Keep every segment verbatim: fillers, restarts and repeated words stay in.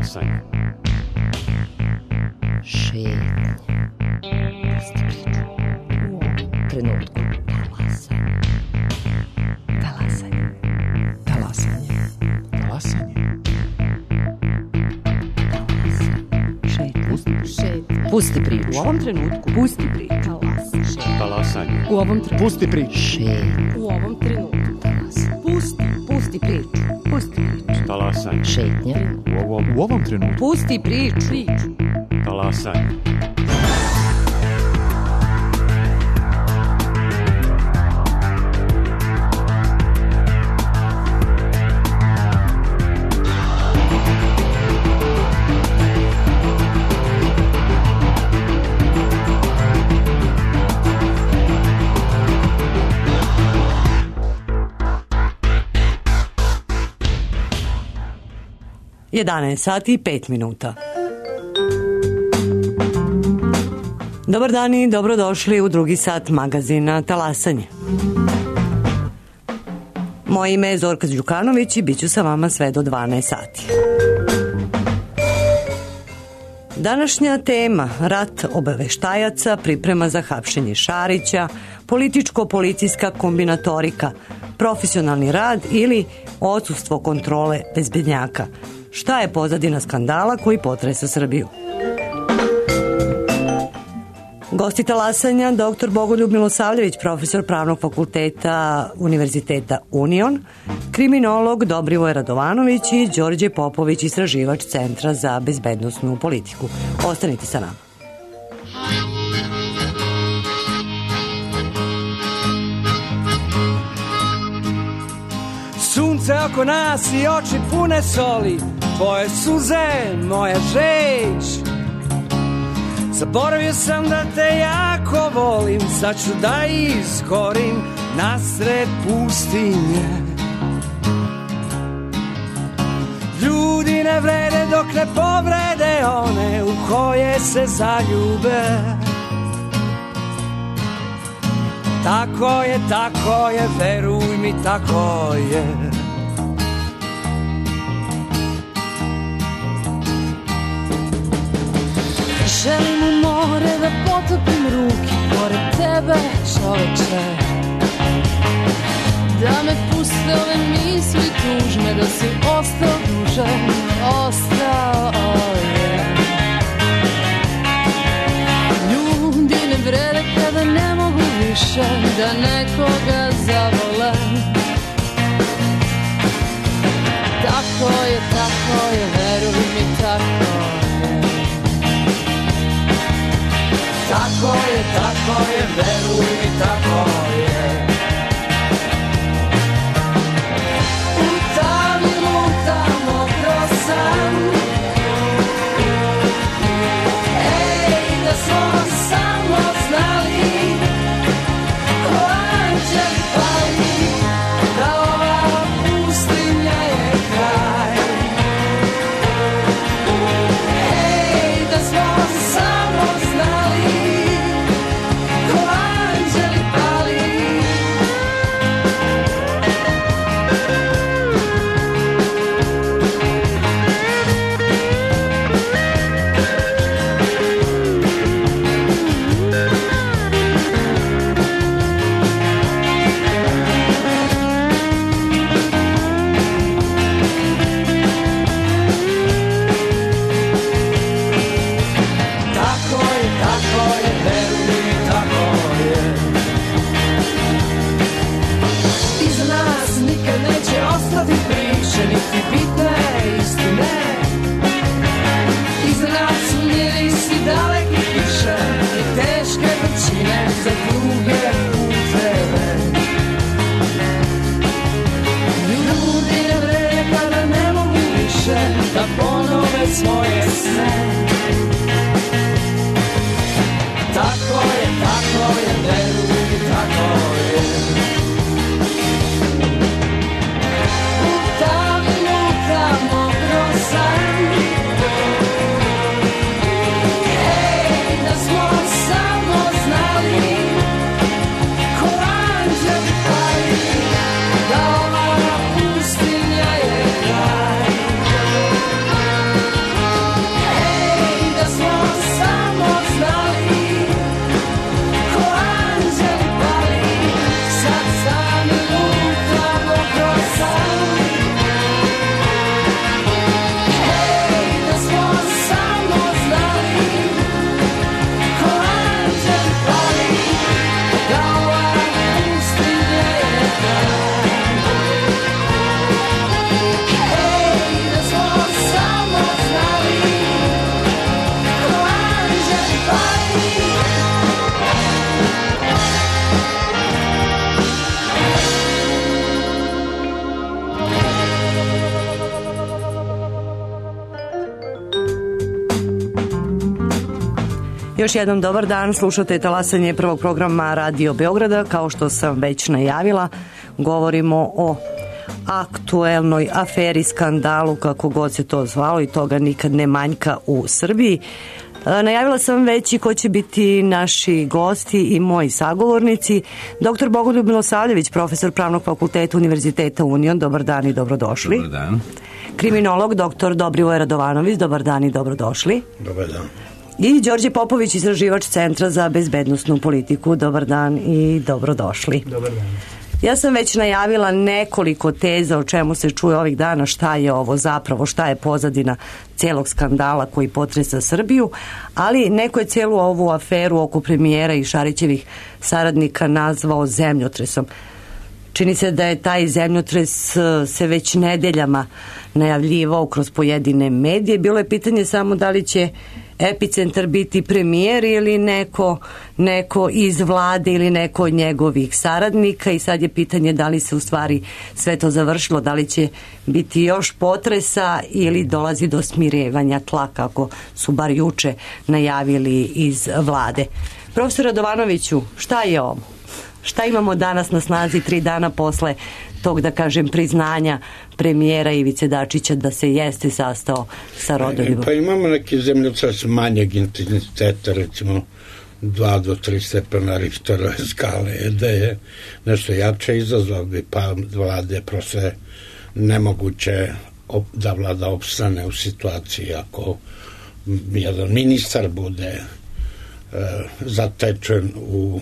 Talasanje. Šetnje. Pusti priču. U ovom trenutku. Talasanje. Talasanje. Talasanje. Talasanje. Šetnje. Pusti priču. U ovom trenutku. Pusti priču. Talasanje. U ovom trenutku. Pusti priču. Šetnje. U ovom trenutku. Pusti. Pusti priču. Pusti priču. Talasanje. Šetnje. U ovom, U ovom trenutku. Pusti priču. Priču. talasanje. jedanaest sati i pet minuta. Dobar dan i dobrodošli u drugi sat magazina Talasanje. Moje ime je Zorka Đukanović i bit ću sa vama sve do dvanaest sati. Današnja tema, rat obaveštajaca, priprema za hapšenje Šarića, političko-policijska kombinatorika, profesionalni rad ili odsustvo kontrole bezbednjaka. Šta je pozadina skandala koji potresa Srbiju? Gosti talasanja, doktor Bogoljub Milosavljević, profesor Pravnog fakulteta Univerziteta Union, kriminolog Dobrivoje Radovanović i Đorđe Popović, istraživač Centra za bezbednosnu politiku. Ostanite sa nama. Sunce oko nas i oči pune soli, tvoje suze, moja žeć. Zaboravio sam da te jako volim, sad ću da izgorim nasred pustinje. Ljudi ne vrede dok ne povrede one u koje se zaljube. Tako je, tako je, veruj mi, tako je. Želim u more da potopim ruke pored tebe, čoveče. Da me puste ove misli tužne, da si ostao duže, ostao je. Ljudi ne vrede kada ne mogu više da nekoga zavole. Tako je, tako je, veruj mi, tako je. Tako je, tako je, veruj mi, tako je. U tami lutam, mokro sam. Ej, da smo samo znali. Oh, Još jednom dobar dan, slušate talasanje prvog programa Radio Beograda. Kao što sam već najavila, govorimo o aktuelnoj aferi, skandalu, kako god se to zvalo, i toga nikad ne manjka u Srbiji. Najavila sam već i ko će biti naši gosti i moji sagovornici. doktor Bogoljub Milosavljević, profesor Pravnog fakulteta Univerziteta Union. Dobar dan i dobrodošli. Dobar dan. Kriminolog doktor Dobrivoje Radovanović. Dobar dan i dobrodošli. Dobar dan. I Đorđe Popović, istraživač Centra za bezbednosnu politiku. Dobar dan i dobrodošli. Dobar dan. Ja sam već najavila nekoliko teza o čemu se čuje ovih dana, šta je ovo zapravo, šta je pozadina celog skandala koji potresa Srbiju, ali neko je celu ovu aferu oko premijera i Šarićevih saradnika nazvao zemljotresom. Čini se da je taj zemljotres se već nedeljama najavljivao kroz pojedine medije. Bilo je pitanje samo da li će epicentar biti premijer ili neko, neko iz vlade ili neko od njegovih saradnika, i sad je pitanje da li se u stvari sve to završilo, da li će biti još potresa ili dolazi do smirevanja tla, kako su bar juče najavili iz vlade. Profesor Radovanoviću, šta je ovo? Šta imamo danas na snazi tri dana posle tog, da kažem, priznanja premijera Ivice Dačića da se jeste sastao sa Rodoljubo? Pa imamo neki zemljotres manjeg intenziteta, recimo dva do tri stepena Richterove skale, da je nešto jače, izazvao bi pa vlade, prosto je nemoguće da vlada opstane u situaciji ako jedan ministar bude e, zatečen u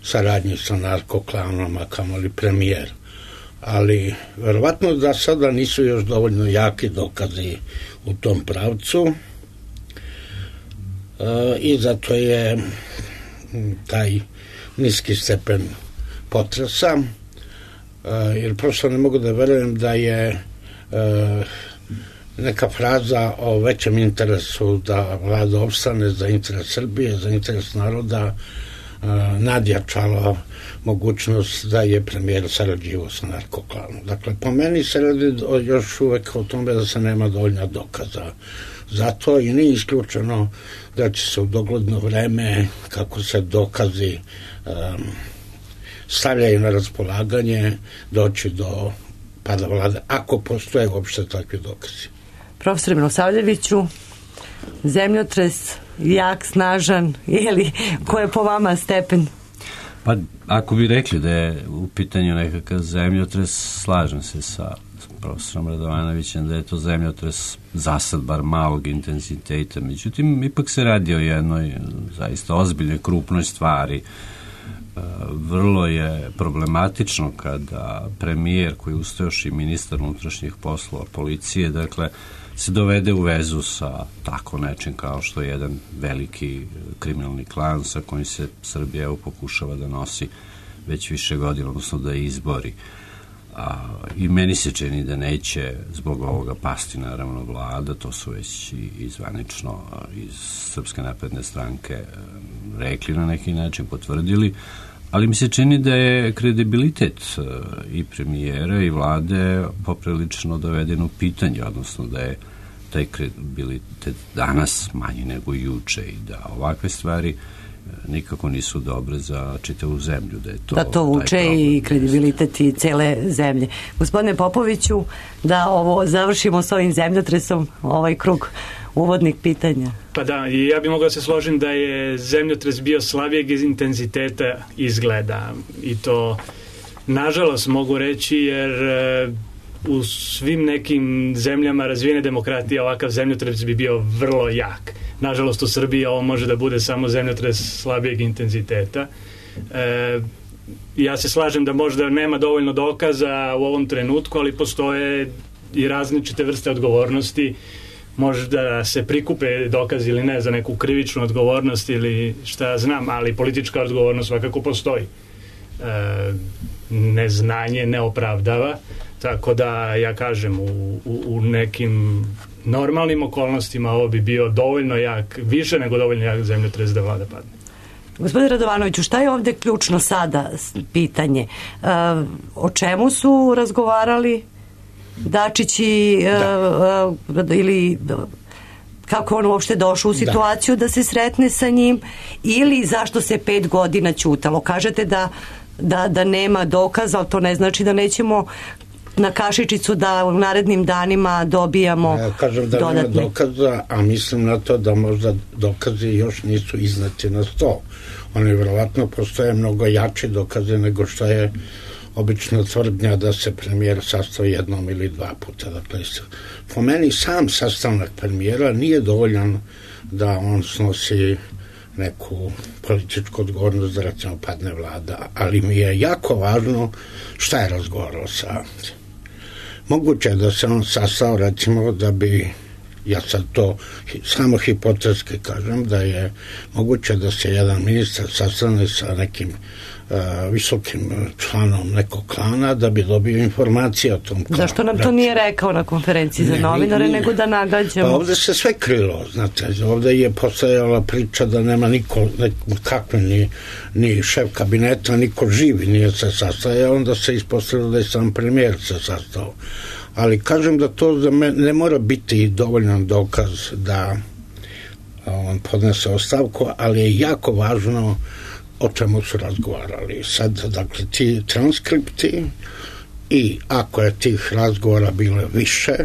saradnji sa narkoklanom, a kamoli premijer. Ali verovatno da sada nisu još dovoljno jaki dokazi u tom pravcu, e, i zato je taj niski stepen potresa, e, jer prosto ne mogu da verujem da je e, neka fraza o većem interesu da vlada opstane za interes Srbije, za interes naroda, nadjačala mogućnost da je premijer sarađivao sa narkoklanom. Dakle, po meni se radi još uvek o tome da se nema dovoljna dokaza. Zato i nije isključeno da će se u dogledno vreme, kako se dokazi um, stavljaju na raspolaganje, doći do pada vlade, ako postoje uopšte takvi dokazi. Profesor Milosavljeviću, zemljotres jak, snažan, ili ko je po vama stepen? Pa ako bi rekli da je u pitanju nekakav zemljotres, slažem se sa profesorom Radovanovićem da je to zemljotres zasad bar malog intenziteta. Međutim, ipak se radi o jednoj zaista ozbiljnoj, krupnoj stvari. Vrlo je problematično kada premijer, koji je uz to još i ministar unutrašnjih poslova, policije, dakle, se dovede u vezu sa tako nečim kao što je jedan veliki kriminalni klan sa kojim se Srbija evo pokušava da nosi već više godina, odnosno da izbori. A, i meni se čini da neće zbog ovoga pasti naravno vlada, to su već i, i zvanično iz Srpske napredne stranke rekli na neki način, potvrdili, ali mi se čini da je kredibilitet i premijera i vlade poprilično doveden u pitanje, odnosno da je taj kredibilitet danas manji nego juče i da ovakve stvari nikako nisu dobre za čitavu zemlju. Da, je to, da to vuče i kredibilitet i cele zemlje. Gospodine Popoviću, da ovo završimo s ovim zemljotresom, ovaj krug uvodnih pitanja. Pa da, i ja bih mogla da se složim da je zemljotres bio slabijeg intenziteta izgleda, i to nažalost mogu reći, jer u svim nekim zemljama razvijene demokratije ovakav zemljotres bi bio vrlo jak. Nažalost u Srbiji ovo može da bude samo zemljotres slabijeg intenziteta. E, ja se slažem da možda nema dovoljno dokaza u ovom trenutku, ali postoje i različite vrste odgovornosti. Možda se prikupe dokazi ili ne za neku krivičnu odgovornost ili šta znam, ali politička odgovornost svakako postoji. E, neznanje ne opravdava, tako da ja kažem u, u, u nekim normalnim okolnostima ovo bi bio dovoljno jak, više nego dovoljno jak zemljotres da vlada padne. Gospodine Radovanoviću, šta je ovde ključno sada pitanje? E, o čemu su razgovarali Dačić i da. e, ili kako on uopšte došao u situaciju da. da se sretne sa njim, ili zašto se pet godina ćutalo. Kažete da, da, da nema dokaza, ali to ne znači da nećemo na kašičicu da u narednim danima dobijamo ja kažem da dodatne. Nema dokaza, a mislim na to da možda dokazi još nisu izneti na sto. Oni vjerovatno postoje mnogo jači dokaze nego što je obično tvrdnja da se premijer sastao jednom ili dva puta. Dakle, po meni sam sastanak premijera nije dovoljan da on snosi neku političku odgovornost da recimo padne vlada, ali mi je jako važno šta je razgovarao sa. Moguće je da se on sastao recimo da bi, ja sad to samo hipotetski kažem, da je moguće da se jedan ministar sastane sa nekim uh, visokim članom nekog klana da bi dobio informacije o tom klanu. Zašto nam to nije rekao na konferenciji za ne, novinare, nije. nego da nagađamo? Pa ovde se sve krilo, znate, ovde je postojala priča da nema niko, kakve, ni, ni šef kabineta, niko živi nije se sastajao, onda se ispostavilo da je sam premijer se sastao. Ali kažem da to za me ne mora biti dovoljan dokaz da on podnese ostavku, ali je jako važno o čemu su razgovarali. Sad, dakle, ti transkripti i ako je tih razgovora bilo više,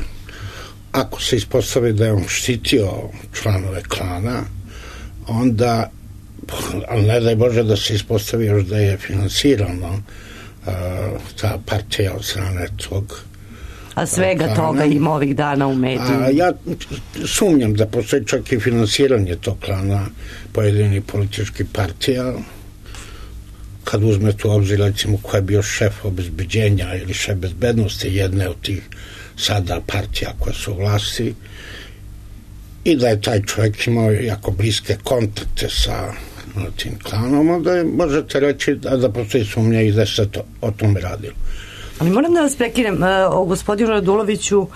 ako se ispostavi da je on štitio članove klana, onda, ali ne daj Bože da se ispostavi još da je finansirano uh, ta partija od strane tog. A svega klana. Toga ima ovih dana u medijima. A ja sumnjam da postoji čak i finansiranje tog klana pojedinih političkih partija. Kad uzmete u obzir recimo ko je bio šef obezbeđenja ili šef bezbednosti jedne od tih sada partija koje su u vlasti i da je taj čovjek imao jako bliske kontakte sa tim klanom, onda je, možete reći da, da postoji sumnja i da se to, o tome radilo. Ali moram da vas prekinem, o gospodinu Raduloviću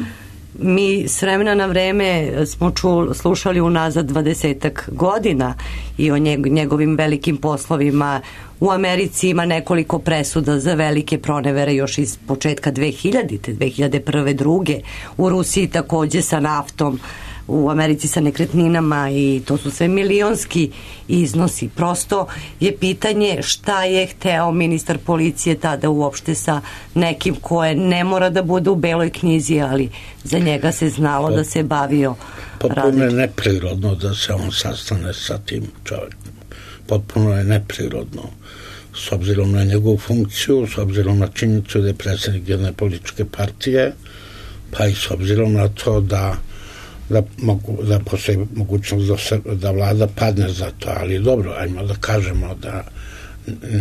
mi s vremena na vreme smo čul, slušali unazad dvadesetak godina i o njegovim velikim poslovima. U Americi ima nekoliko presuda za velike pronevere još iz početka dve hiljadite, dve hiljade prve, druge. U Rusiji takođe sa naftom, u Americi sa nekretninama i to su sve milionski iznosi. Prosto je pitanje šta je hteo ministar policije tada uopšte sa nekim koje ne mora da bude u beloj knjizi, ali za njega se znalo da se bavio potpuno je neprirodno da se on sastane sa tim čovjekom. Potpuno je neprirodno s obzirom na njegovu funkciju, s obzirom na činjenicu da je predsjednik jedne političke partije, pa i s obzirom na to da da, mogu, da postoji mogućnost da, se, da vlada padne za to, ali dobro, ajmo da kažemo da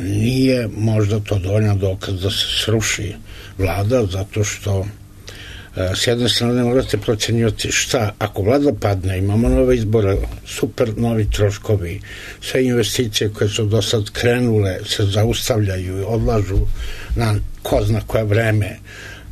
nije možda to dovoljno dokaz da se sruši vlada, zato što s jedne strane morate procenjivati šta, ako vlada padne, imamo nove izbore, super novi troškovi, sve investicije koje su do sad krenule se zaustavljaju i odlažu na ko zna koje vreme.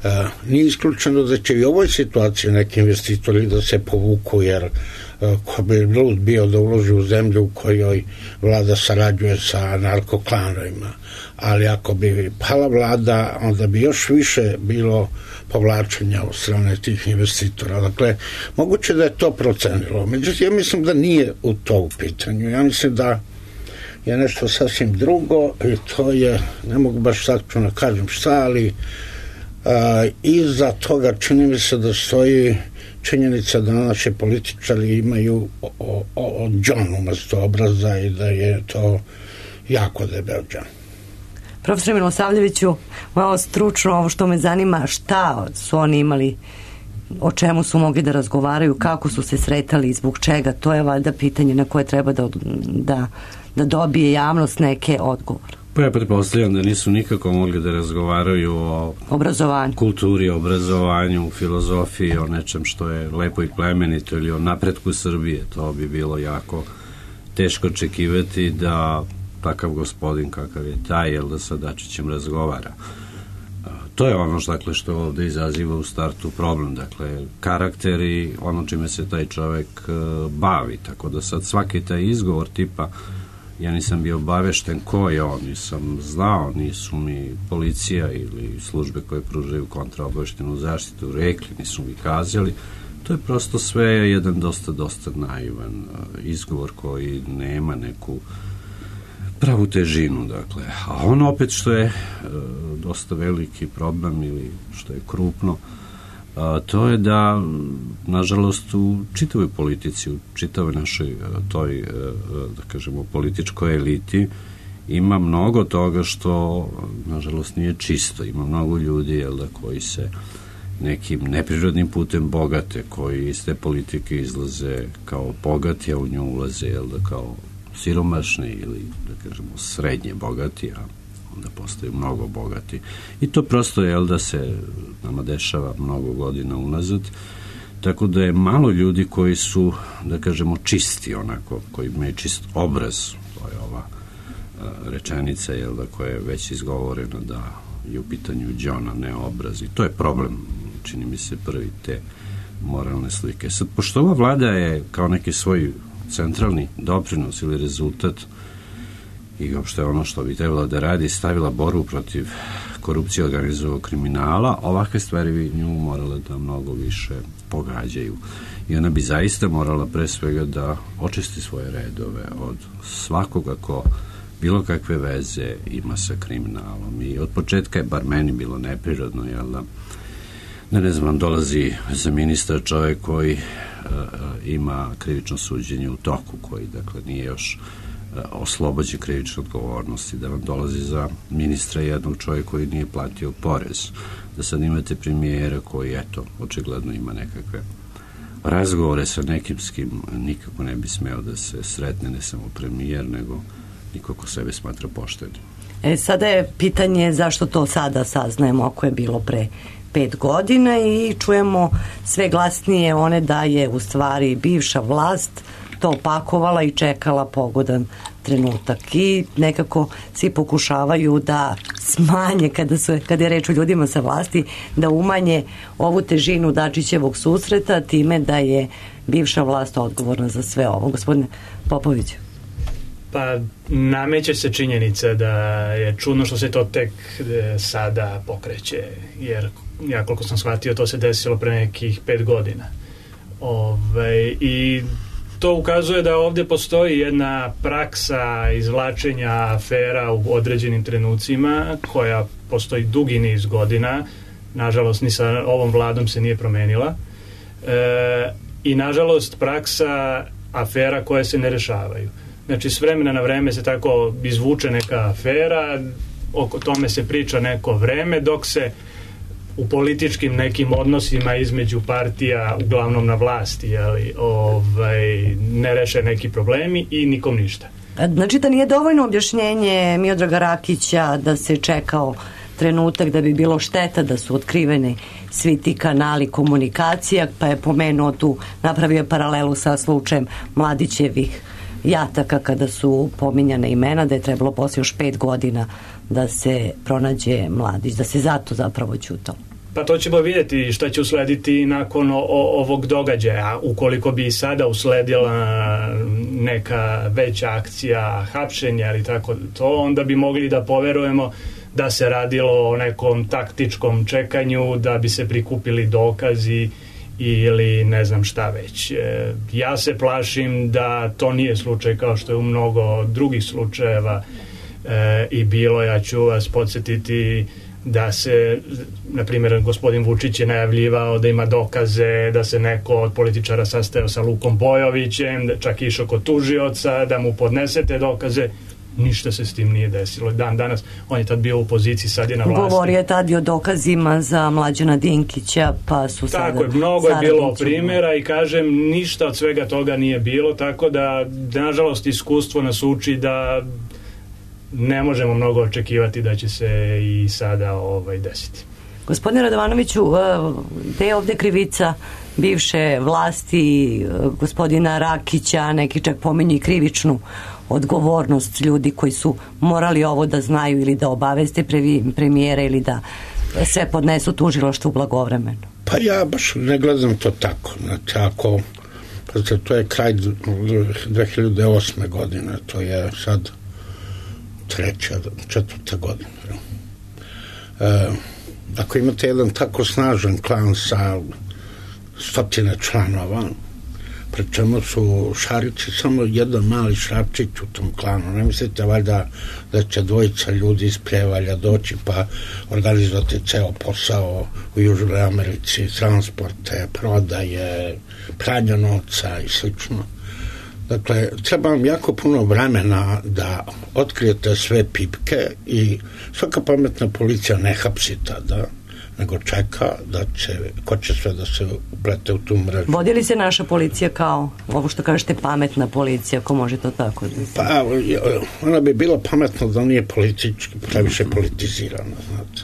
Uh, nije isključeno da će i u ovoj situaciji neki investitori da se povuku, jer uh, ko bi lud bio da uloži u zemlju u kojoj vlada sarađuje sa narkoklanovima, ali ako bi pala vlada, onda bi još više bilo povlačenja od strane tih investitora. Dakle, moguće da je to procenilo. Međutim, ja mislim da nije u to u pitanju. Ja mislim da je nešto sasvim drugo i to je, ne mogu baš sad ću kažem šta, ali Uh, iza toga čini mi se da stoji činjenica da naši političari imaju o, o, o džon umesto obraza i da je to jako debel džon. Profesor Milosavljeviću, malo stručno ovo što me zanima, šta su oni imali, o čemu su mogli da razgovaraju, kako su se sretali i zbog čega, to je valjda pitanje na koje treba da, da, da dobije javnost neke odgovore. Pa ja pretpostavljam da nisu nikako mogli da razgovaraju o obrazovanju, kulturi, obrazovanju, filozofiji, o nečem što je lepo i plemenito ili o napretku Srbije. To bi bilo jako teško očekivati da takav gospodin kakav je taj, jel da sa Dačićem razgovara. To je ono što, dakle, što ovde izaziva u startu problem, dakle, karakter i ono čime se taj čovek bavi, tako da sad svaki taj izgovor tipa ja nisam bio obavešten ko je on, nisam znao, nisu mi policija ili službe koje pružaju kontraobaveštenu zaštitu rekli, nisu mi kazali, To je prosto sve jedan dosta, dosta naivan uh, izgovor koji nema neku pravu težinu, dakle. A ono opet što je uh, dosta veliki problem ili što je krupno, a, to je da, nažalost, u čitavoj politici, u čitavoj našoj toj, da kažemo, političkoj eliti ima mnogo toga što, nažalost, nije čisto. Ima mnogo ljudi, jel da, koji se nekim neprirodnim putem bogate, koji iz te politike izlaze kao bogati, a u nju ulaze, jel da, kao siromašni ili, da kažemo, srednje bogati, a onda postaju mnogo bogati. I to prosto je, jel da, se nama dešava mnogo godina unazad, tako da je malo ljudi koji su, da kažemo, čisti onako, koji imaju čist obraz. To je ova a, rečenica, jel da, koja je već izgovorena da je u pitanju đona, ne obraz. I to je problem, čini mi se, prvi te moralne slike. Sad, pošto ova vlada je kao neki svoj centralni doprinos ili rezultat i uopšte ono što bi trebalo da radi, stavila borbu protiv korupcije, organizovanog kriminala, ovakve stvari bi nju morale da mnogo više pogađaju. I ona bi zaista morala pre svega da očisti svoje redove od svakoga ko bilo kakve veze ima sa kriminalom. I od početka je, bar meni, bilo neprirodno, jel da, da ne znam, dolazi za ministar čovjek koji uh, ima krivično suđenje u toku, koji, dakle, nije još oslobođen krivične odgovornosti, da vam dolazi za ministra jednog čovjeka koji nije platio porez, da sad imate premijera koji, eto, očigledno ima nekakve razgovore sa nekim s kim nikako ne bi smeo da se sretne, ne samo premijer, nego niko ko sebe smatra poštenim. E, sada je pitanje zašto to sada saznajemo ako je bilo pre pet godina i čujemo sve glasnije one da je u stvari bivša vlast to opakovala i čekala pogodan trenutak i nekako svi pokušavaju da smanje kada, su, kada je reč o ljudima sa vlasti, da umanje ovu težinu Dačićevog susreta time da je bivša vlast odgovorna za sve ovo. Gospodine Popović. Pa nameće se činjenica da je čudno što se to tek sada pokreće, jer ja koliko sam shvatio to se desilo pre nekih pet godina. Ove, i to ukazuje da ovdje postoji jedna praksa izvlačenja afera u određenim trenucima koja postoji dugi niz godina, nažalost ni sa ovom vladom se nije promenila, e, i nažalost praksa afera koje se ne rešavaju. Znači s vremena na vreme se tako izvuče neka afera, oko tome se priča neko vreme, dok se u političkim nekim odnosima između partija, uglavnom na vlasti, jeli, ovaj, ne reše neki problemi i nikom ništa. Znači da nije dovoljno objašnjenje Miodraga Rakića da se čekao trenutak da bi bilo šteta da su otkriveni svi ti kanali komunikacija, pa je pomenuo tu, napravio paralelu sa slučajem Mladićevih jataka kada su pominjane imena, da je trebalo poslije još pet godina da se pronađe Mladić, da se zato zapravo ćutalo. Pa to ćemo vidjeti šta će uslediti nakon o, o, ovog događaja. Ukoliko bi sada usledila neka veća akcija hapšenja ili tako to, onda bi mogli da poverujemo da se radilo o nekom taktičkom čekanju, da bi se prikupili dokazi ili ne znam šta već. E, ja se plašim da to nije slučaj kao što je u mnogo drugih slučajeva e, i bilo. Ja ću vas podsjetiti da se, na primjer, gospodin Vučić je najavljivao da ima dokaze da se neko od političara sastajao sa Lukom Bojovićem, da čak išao kod tužioca da mu podnesete dokaze. Ništa se s tim nije desilo. Dan danas, on je tad bio u poziciji, sad je na vlasti. Govorio je tad i o dokazima za Mlađana Dinkića, pa su sada... Tako je, mnogo je bilo primjera i kažem, ništa od svega toga nije bilo, tako da, nažalost, iskustvo nas uči da ne možemo mnogo očekivati da će se i sada ovaj, desiti. Gospodine Radovanoviću, gde je ovdje krivica bivše vlasti, gospodina Rakića, neki čak pominju i krivičnu odgovornost ljudi koji su morali ovo da znaju ili da obaveste premijera ili da sve podnesu tužilaštvu blagovremeno? Pa ja baš ne gledam to tako. Znači, ako, pa to je kraj dve hiljade osme godine, to je sad treća, četvrta godina. E, ako imate jedan tako snažan klan sa stotine članova, pri čemu su Šarići samo jedan mali šrapčić u tom klanu. Ne mislite valjda da će dvojica ljudi iz Pljevalja doći pa organizovati ceo posao u Južnoj Americi, transporte, prodaje, pranje novca i slično. Dakle, treba vam jako puno vremena da otkrijete sve pipke i svaka pametna policija ne hapsi tada, nego čeka da će, ko će sve da se uplete u tu mrežu. Vodi li se naša policija kao, ovo što kažete, pametna policija, ako može to tako da se... Pa, ona bi bila pametna da nije politički, previše politizirana, znate,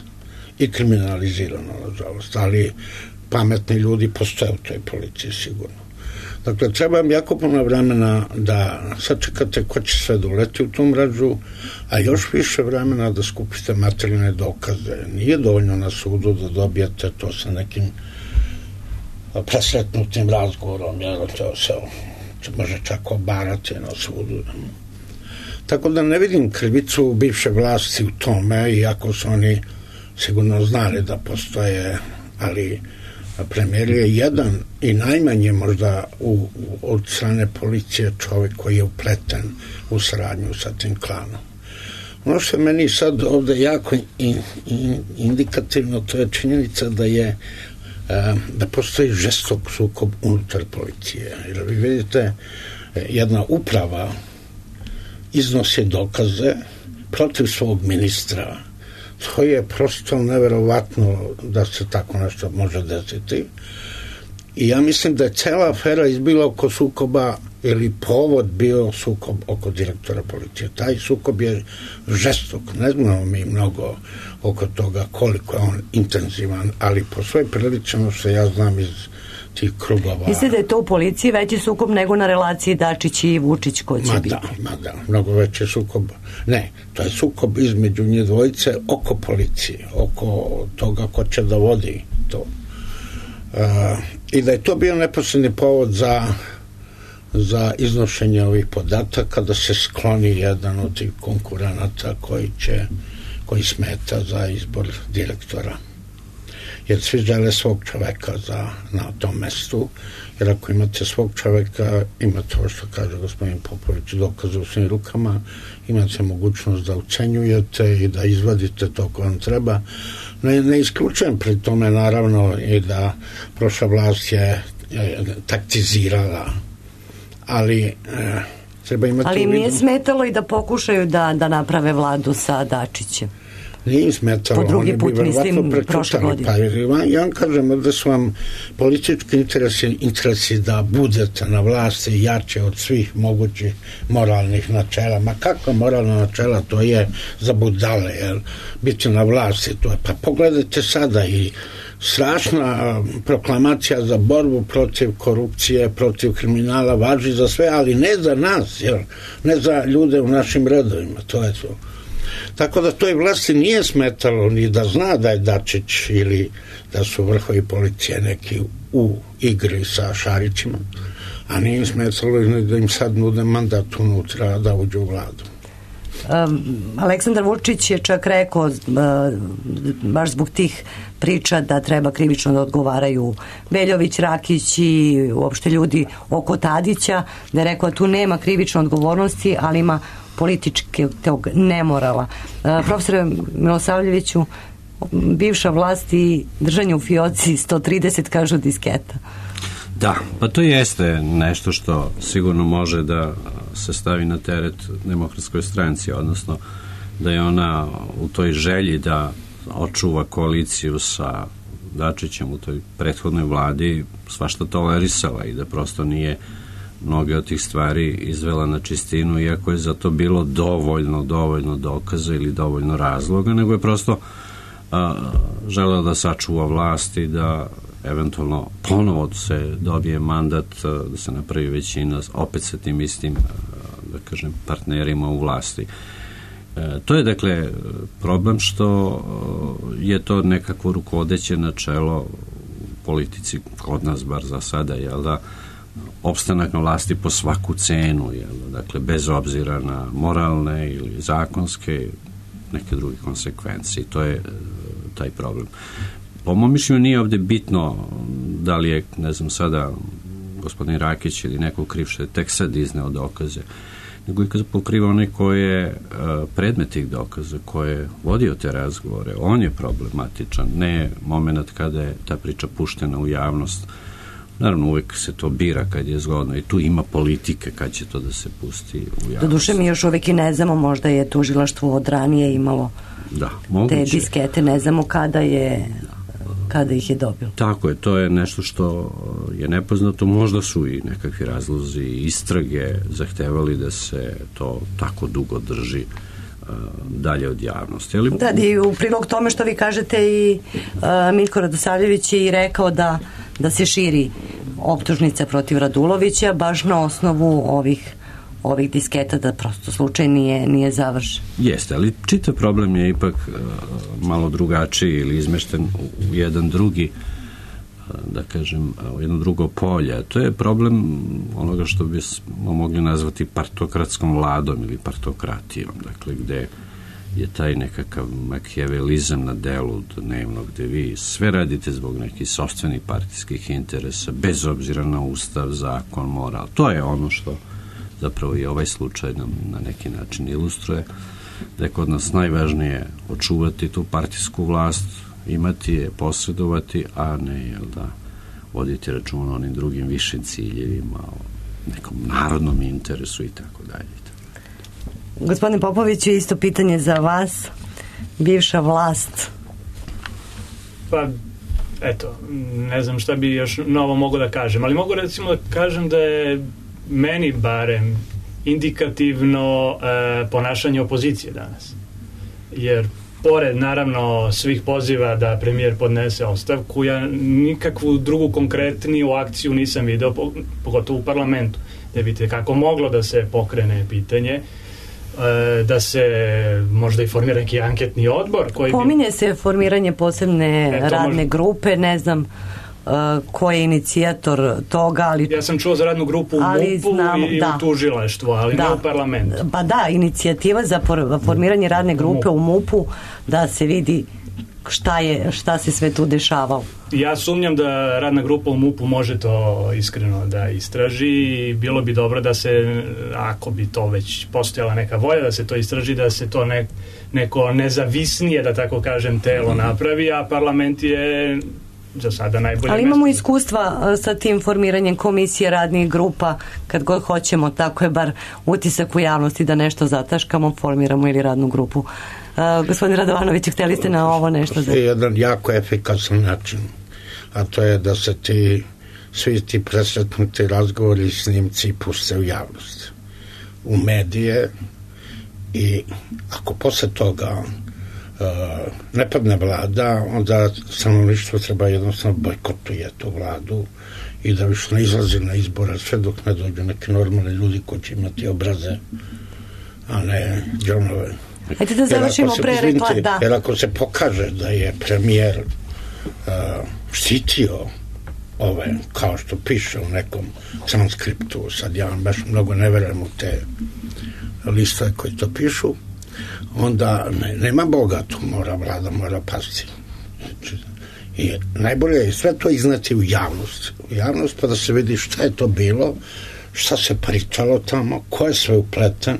i kriminalizirana, nažalost, ali pametni ljudi postoje u toj policiji, sigurno. Dakle, treba vam jako puno vremena da sačekate ko će sve doleti u tu mrežu, a još više vremena da skupite materijalne dokaze. Nije dovoljno na sudu da dobijete to sa nekim presretnutim razgovorom, jer to se može čak obarati na sudu. Tako da ne vidim krivicu bivše vlasti u tome, iako su oni sigurno znali da postoje, ali premijer je jedan i najmanje možda u, u, od strane policije čovjek koji je upleten u saradnju sa tim klanom. Ono što je meni sad ovde jako in, in, indikativno, to je činjenica da je da postoji žestok sukob unutar policije. Jer vi vidite, jedna uprava iznosi dokaze protiv svog ministra. To je prosto neverovatno da se tako nešto može desiti. I ja mislim da je cela afera izbila oko sukoba ili povod bio sukob oko direktora policije. Taj sukob je žestok. Ne znamo mi mnogo oko toga koliko je on intenzivan, ali po svoj prilično što ja znam iz tih krugova. Mislite da je to u policiji veći sukob nego na relaciji Dačić i Vučić ko će ma biti? Da, ma da, mnogo veći sukob. Ne, to je sukob između njih dvojice oko policije, oko toga ko će da vodi to. Uh, I da je to bio neposredni povod za za iznošenje ovih podataka, da se skloni jedan od tih konkurenata koji će koji smeta za izbor direktora. Jer svi žele svog čoveka za, na tom mestu, jer ako imate svog čoveka, imate ovo što kaže gospodin Popović, dokaze u svim rukama, imate mogućnost da ucenjujete i da izvadite to ko vam treba. Ne, ne isključujem pri tome naravno i da prošla vlast je, je taktizirala, ali e, treba imati... Ali im nije smetalo i da pokušaju da, da naprave vladu sa Dačićem. Nije im smetalo. Po drugi put, mislim, prošle godine. Pa, ja vam kažem da su vam politički interesi, interesi da budete na vlasti jače od svih mogućih moralnih načela. Ma kakva moralna načela, to je za budale, jer biti na vlasti, to je. Pa pogledajte sada i strašna proklamacija za borbu protiv korupcije, protiv kriminala važi za sve, ali ne za nas, jer ne za ljude u našim redovima, to je to. Tako da toj vlasti nije smetalo ni da zna da je Dačić ili da su vrhovi policije neki u igri sa Šarićima, a nije im smetalo ni da im sad nude mandat unutra da uđu u vladu. Um, Aleksandar Vučić je čak rekao uh, baš zbog tih priča da treba krivično da odgovaraju Veljović, Rakić i uopšte ljudi oko Tadića, da je rekao da tu nema krivične odgovornosti, ali ima političke tog nemorala. Uh, profesore Milosavljeviću, bivša vlast i držanje u fioci sto trideset kažu disketa. Da, pa to jeste nešto što sigurno može da se stavi na teret Demokratskoj stranci, odnosno da je ona u toj želji da očuva koaliciju sa Dačićem u toj prethodnoj vladi svašta tolerisala i da prosto nije mnoge od tih stvari izvela na čistinu, iako je za to bilo dovoljno, dovoljno dokaza ili dovoljno razloga, nego je prosto a, želela da sačuva vlast i da eventualno ponovo se dobije mandat, da se napravi većina opet sa tim istim, da kažem, partnerima u vlasti. E, to je dakle problem što je to nekako rukovodeće načelo u politici kod nas, bar za sada, jel da, opstanak na vlasti po svaku cenu, jel, dakle bez obzira na moralne ili zakonske neke druge konsekvencije. To je taj problem. po mom mišljenju nije ovde bitno da li je, ne znam sada, gospodin Rakić ili neko kriv što je tek sad izneo dokaze, nego i kad pokriva onaj ko je uh, predmet tih dokaza, ko je vodio te razgovore. On je problematičan, ne moment kada je ta priča puštena u javnost. Naravno, uvijek se to bira kad je zgodno i tu ima politike kad će to da se pusti u javnost. Doduše mi još uvijek i ne znamo, možda je tužilaštvo od ranije imalo da, moguće. Te diskete, ne znamo kada je kada ih je dobilo. Tako je, to je nešto što je nepoznato, možda su i nekakvi razlozi istrage zahtevali da se to tako dugo drži uh, dalje od javnosti. Ali... Da, i u prilog tome što vi kažete i uh, Miljko Radosavljević je i rekao da, da se širi optužnica protiv Radulovića baš na osnovu ovih ovih disketa, da prosto slučaj nije, nije završen. Jeste, ali čitav problem je ipak uh, malo drugačiji ili izmešten u jedan drugi, uh, da kažem, u jedno drugo polje. To je problem onoga što bismo mogli nazvati partokratskom vladom ili partokratijom, dakle, gde je taj nekakav makijavelizam na delu dnevno, gde vi sve radite zbog nekih sopstvenih partijskih interesa, bez obzira na ustav, zakon, moral. To je ono što zapravo i ovaj slučaj nam na neki način ilustruje, da je kod nas najvažnije očuvati tu partijsku vlast, imati je, posredovati, a ne, jel da, voditi račun o onim drugim višim ciljevima, o nekom narodnom interesu i tako dalje. Gospodine Popoviću, isto pitanje za vas. Bivša vlast. Pa, eto, ne znam šta bi još novo mogu da kažem, ali mogu recimo da kažem da je meni barem indikativno e, ponašanje opozicije danas. Jer pored naravno svih poziva da premijer podnese ostavku, ja nikakvu drugu konkretniju akciju nisam video, pogotovo u parlamentu, da vidite kako moglo da se pokrene pitanje, e, da se možda i formira neki anketni odbor koji pominje bi... se formiranje posebne e, radne možda... grupe, ne znam Uh, ko je inicijator toga, ali... Ja sam čuo za radnu grupu u MUP-u znamo, i da. u tužilaštvu, ali da. ne u parlamentu. Pa da, inicijativa za formiranje radne grupe u MUP-u, da se vidi šta je, šta se sve tu dešavalo. Ja sumnjam da radna grupa u MUP-u može to iskreno da istraži i bilo bi dobro da se, ako bi to već postojala neka volja da se to istraži, da se to ne, neko nezavisnije, da tako kažem, telo napravi, a parlament je za sada najbolje. Ali imamo mesto. Iskustva sa tim formiranjem komisije, radnih grupa, kad god hoćemo, tako je bar utisak u javnosti da nešto zataškamo, formiramo ili radnu grupu. Uh, gospodin Radovanović, hteli ste na ovo nešto? To je jedan jako efikasan način, a to je da se ti svi ti presretnuti razgovori i snimci puste u javnost, u medije, i ako posle toga Uh, ne padne vlada, onda stanovništvo treba jednostavno bojkotuje tu vladu i da više ne izlazi na izbora sve dok ne dođu neki normalni ljudi koji će imati obraze, a ne džonove. Ajde da završimo pre rekla, da. Jer ako se pokaže da je premijer uh, štitio ove, kao što piše u nekom transkriptu, sad ja vam baš mnogo ne verujem u te listove koji to pišu, onda ne, nema Boga, tu mora vlada, mora pasti. I najbolje je sve to izneti u javnost. U javnost pa da se vidi šta je to bilo, šta se pričalo tamo, ko je sve upleten,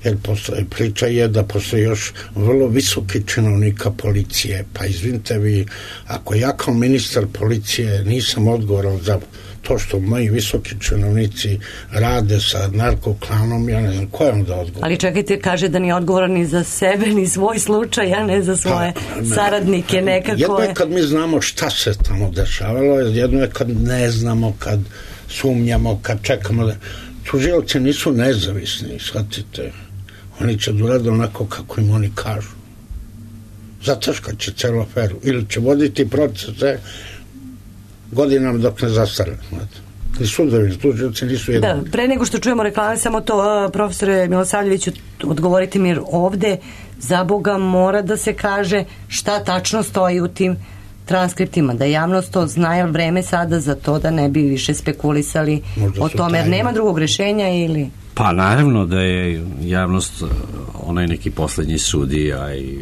jer postoje, priča je da postoje još vrlo visoki činovnika policije, pa izvinite vi, ako ja kao ministar policije nisam odgovoran za to što moji visoki činovnici rade sa narkoklanom, ja ne znam ko je onda odgovoran. Ali čekajte, kaže da nije odgovoran ni za sebe, ni svoj slučaj, a ne za svoje pa, ne, saradnike nekako. Jedno je kad mi znamo šta se tamo dešavalo, jedno je kad ne znamo, kad sumnjamo, kad čekamo da... Tužioci nisu nezavisni, shvatite. Oni će da urade onako kako im oni kažu. Zataškat će celu aferu. Ili će voditi procese godinama dok ne zastare. I sudovi, tužioci nisu jedni. Da, pre nego što čujemo reklame, samo to, profesore Milosavljeviću, odgovorite mi ovde, za Boga mora da se kaže šta tačno stoji u tim transkriptima, da javnost to zna, jer vreme sada za to da ne bi više spekulisali o tome, jer nema drugog rešenja ili... Pa naravno da je javnost onaj neki poslednji sudija i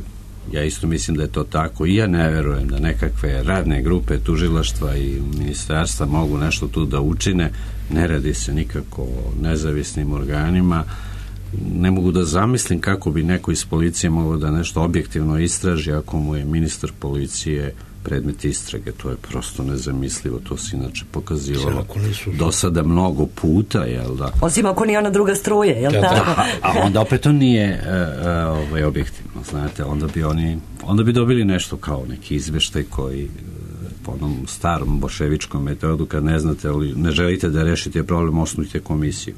Ja isto mislim da je to tako i ja ne verujem da nekakve radne grupe tužilaštva i ministarstva mogu nešto tu da učine. Ne radi se nikako o nezavisnim organima. Ne mogu da zamislim kako bi neko iz policije mogao da nešto objektivno istraži ako mu je ministar policije predmet istrage. To je prosto nezamislivo. To se inače pokazivalo do sada mnogo puta, jel da? Osim ako nije ona druga struje, jel da, tako? Da, a onda opet to nije uh, uh, ovaj, objektivno, znate. Onda bi oni, onda bi dobili nešto kao neki izveštaj koji uh, po onom starom boševičkom metodu, kad ne znate, ali ne želite da rešite problem, osnujte komisiju.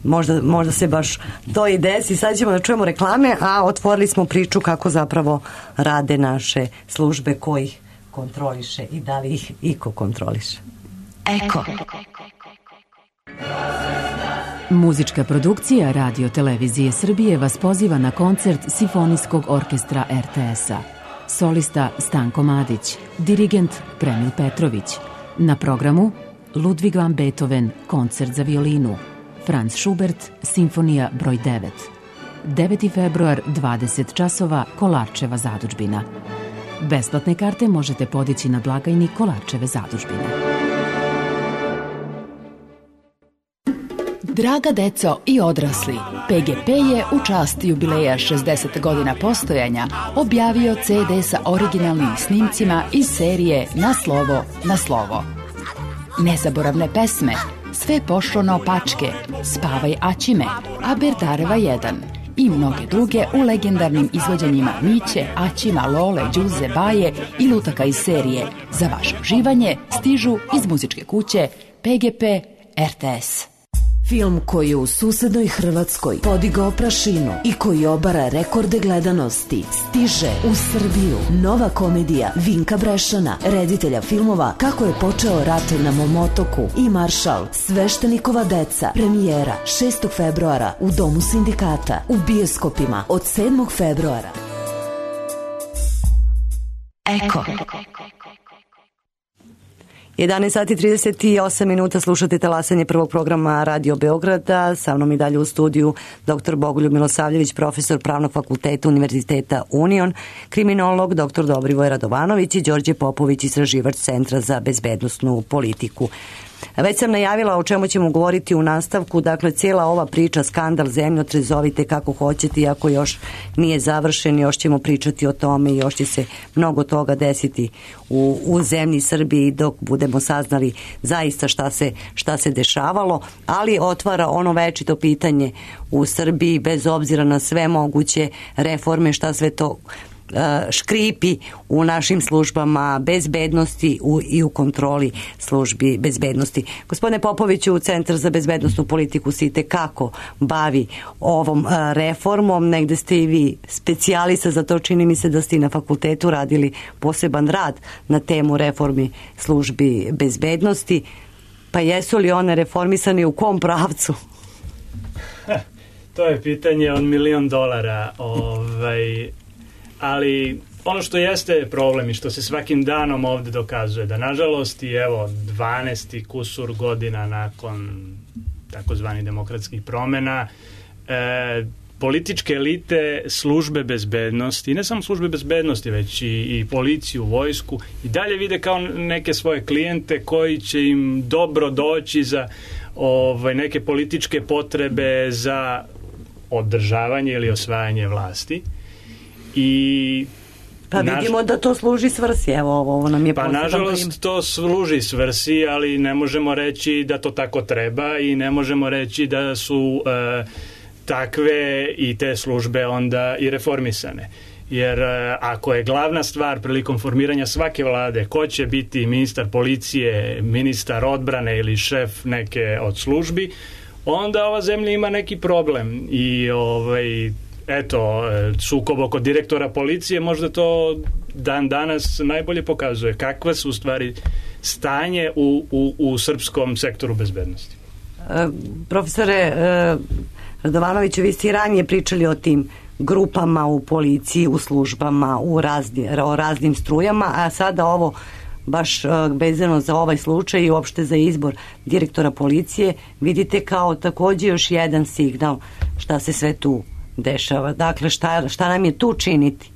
Možda, možda se baš to i desi. Sad ćemo da čujemo reklame, a otvorili smo priču kako zapravo rade naše službe, ko ih kontroliše i da li ih iko kontroliše. Eko. Muzička produkcija Radio Televizije Srbije vas poziva na koncert Simfonijskog orkestra er te es-a. Solista Stanko Madić, dirigent Premil Petrović. Na programu Ludwig van Beethoven, koncert za violinu. Franz Schubert, Simfonija broj devet. deveti februar, dvadeset časova, Kolarčeva zadužbina. Besplatne karte možete podići na blagajni Kolarčeve zadužbine. Draga deco i odrasli, pe ge pe je u čast jubileja šezdeset godina postojanja objavio ce de sa originalnim snimcima iz serije Na slovo, na slovo. Nezaboravne pesme, Sve pošlo naopačke, Spavaj Aćime, Aberdareva jedan i mnoge druge u legendarnim izvođenjima Miće, Aćima, Lole, Đuze, Baje i lutaka iz serije. Za vaše uživanje stižu iz muzičke kuće pe ge pe er te es. Film koji je u susednoj Hrvatskoj podigao prašinu i koji obara rekorde gledanosti stiže u Srbiju. Nova komedija Vinka Brešana, reditelja filmova Kako je počeo rat na mom otoku i Maršal, Sveštenikova deca. Premijera šestog februara u Domu sindikata, u bioskopima od sedmog februara. Eko. jedanaest sati trideset osam minuta, slušate talasanje prvog programa Radio Beograda. Sa mnom i dalje u studiju doktor Bogoljub Milosavljević, profesor Pravnog fakulteta Univerziteta Union, kriminolog doktor Dobrivoje Radovanović i Đorđe Popović, istraživač Centra za bezbednosnu politiku. Već sam najavila o čemu ćemo govoriti u nastavku, dakle cijela ova priča, skandal, zemljotres, zovite kako hoćete, iako još nije završen, još ćemo pričati o tome i još će se mnogo toga desiti u, u zemlji Srbiji dok budemo saznali zaista šta se, šta se dešavalo, ali otvara ono večito pitanje u Srbiji, bez obzira na sve moguće reforme, šta sve to škripi u našim službama bezbednosti u, i u kontroli službi bezbednosti. Gospodine Popoviću, Centar za bezbednosnu politiku se itekako bavi ovom reformom, negde ste i vi specijalista za to, čini mi se da ste i na fakultetu radili poseban rad na temu reformi službi bezbednosti, pa jesu li one reformisane u kom pravcu? To je pitanje od milion dolara, ovaj ali ono što jeste problem i što se svakim danom ovde dokazuje, da nažalost i evo dvanaest kusur godina nakon takozvanih demokratskih promena, e, političke elite, službe bezbednosti, ne samo službe bezbednosti, već i, i policiju, vojsku, i dalje vide kao neke svoje klijente koji će im dobro doći za ovaj, neke političke potrebe za održavanje ili osvajanje vlasti. I pa vidimo naž... da to služi svrsi, evo ovo nam je pa nažalost prim... to služi svrsi, ali ne možemo reći da to tako treba i ne možemo reći da su e, takve i te službe onda i reformisane, jer e, ako je glavna stvar prilikom formiranja svake vlade ko će biti ministar policije, ministar odbrane ili šef neke od službi, onda ova zemlja ima neki problem i ovaj eto, sukob oko direktora policije možda to dan danas najbolje pokazuje kakva su u stvari stanje u, u, u srpskom sektoru bezbednosti. E, profesore e, Radovanoviću, vi ste i ranije pričali o tim grupama u policiji, u službama, u razni, o raznim strujama, a sada ovo baš vezano za ovaj slučaj i uopšte za izbor direktora policije vidite kao takođe još jedan signal šta se sve tu dešava. Dakle, šta, šta nam je tu činiti?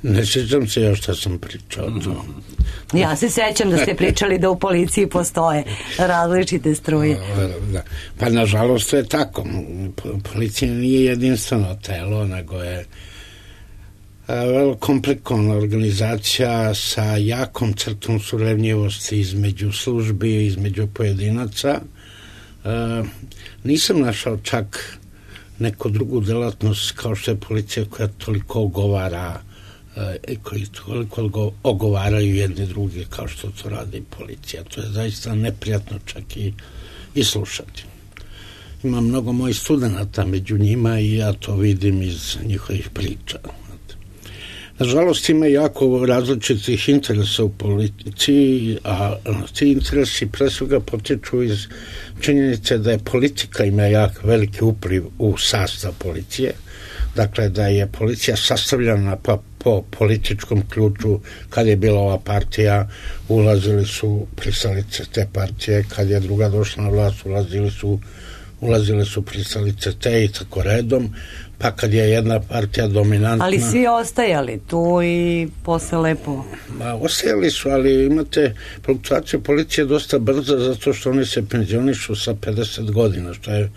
Ne sjećam se ja šta sam pričao. To. Ja se sećam da ste pričali da u policiji postoje različite struje. Da. Pa nažalost to je tako. Policija nije jedinstveno telo, nego je vrlo komplikovana organizacija sa jakom crtom surevnjivosti između službi, između pojedinaca. Nisam našao čak neku drugu delatnost kao što je policija koja toliko ogovara i koji toliko ogovaraju jedni drugi kao što to radi policija. To je zaista neprijatno čak i, i slušati. Ima mnogo mojih studenata među njima i ja to vidim iz njihovih priča. Nažalost ima jako različitih interesa u policiji, a ti interesi pre svega potiču iz činjenice da je politika ima jak veliki upliv u sastav policije, dakle da je policija sastavljena pa po političkom ključu. Kad je bila ova partija, ulazili su pristalice te partije, kad je druga došla na vlast, ulazili su ulazile su pristalice te i tako redom, pa kad je jedna partija dominantna... Ali svi ostajali tu i posle lepo... Ma, ostajali su, ali imate fluktuacija policije dosta brza zato što oni se penzionišu sa pedeset godina, što je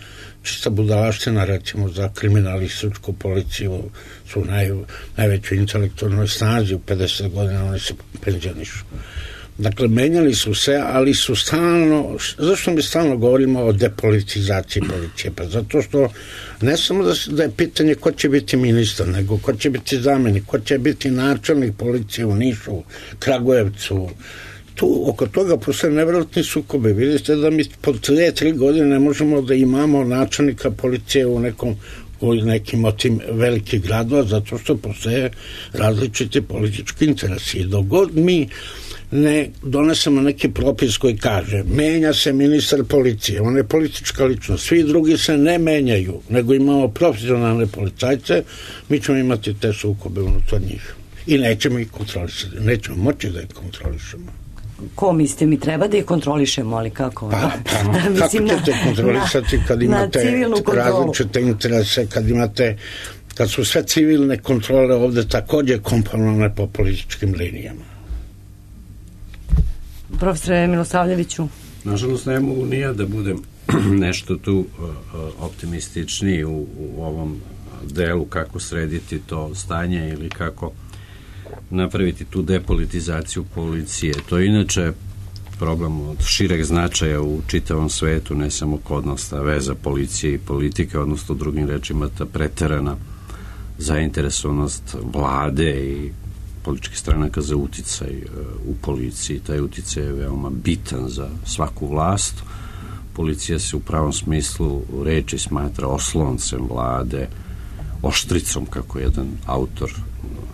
čista budalaština, recimo, za kriminalističku policiju su naj, najvećoj intelektualnoj snazi u pedeset godina, oni se penzionišu. Dakle, menjali su se, ali su stalno, zašto mi stalno govorimo o depolitizaciji policije? Pa zato što ne samo da, da je pitanje ko će biti ministar, nego ko će biti zamenik, ko će biti načelnik policije u Nišu, Kragujevcu. Tu, oko toga postoje nevjerojatni sukobe. Vidite da mi po dve, tri godine ne možemo da imamo načelnika policije u nekom u nekim od tim velikih gradova, zato što postoje različiti politički interesi. Dok god mi ne donesemo neki propis koji kaže menja se ministar policije, on je politička ličnost, svi drugi se ne menjaju, nego imamo profesionalne policajce, mi ćemo imati te sukobe unutar njih i nećemo ih kontrolisati, nećemo moći da ih kontrolišemo. Ko mislite, mi treba da ih kontrolišemo, ali kako? Pa, pa kako ćete kontrolisati kad imate različite interese, kad imate, kad su sve civilne kontrole ovde takođe komponovane po političkim linijama. Profesore Milosavljeviću. Nažalost, ne mogu ni ja da budem nešto tu optimističniji u, u ovom delu kako srediti to stanje ili kako napraviti tu depolitizaciju policije. To je inače problem od šireg značaja u čitavom svetu, ne samo kod nas, ta veza policije i politike, odnosno drugim rečima ta preterana zainteresovanost vlade i političkih stranaka za uticaj u policiji. Taj uticaj je veoma bitan za svaku vlast. Policija se u pravom smislu reči smatra osloncem vlade, oštricom, kako jedan autor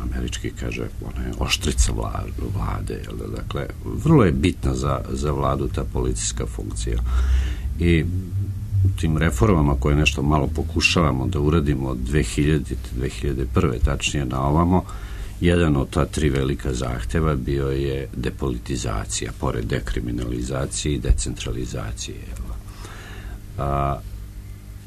američki kaže, ona je oštrica vlade. Dakle, vrlo je bitna za, za vladu ta policijska funkcija. I u tim reformama koje nešto malo pokušavamo da uradimo od dve hiljadite. do dve hiljade prve. tačnije na ovamo, jedan od ta tri velika zahteva bio je depolitizacija, pored dekriminalizacije i decentralizacije. A,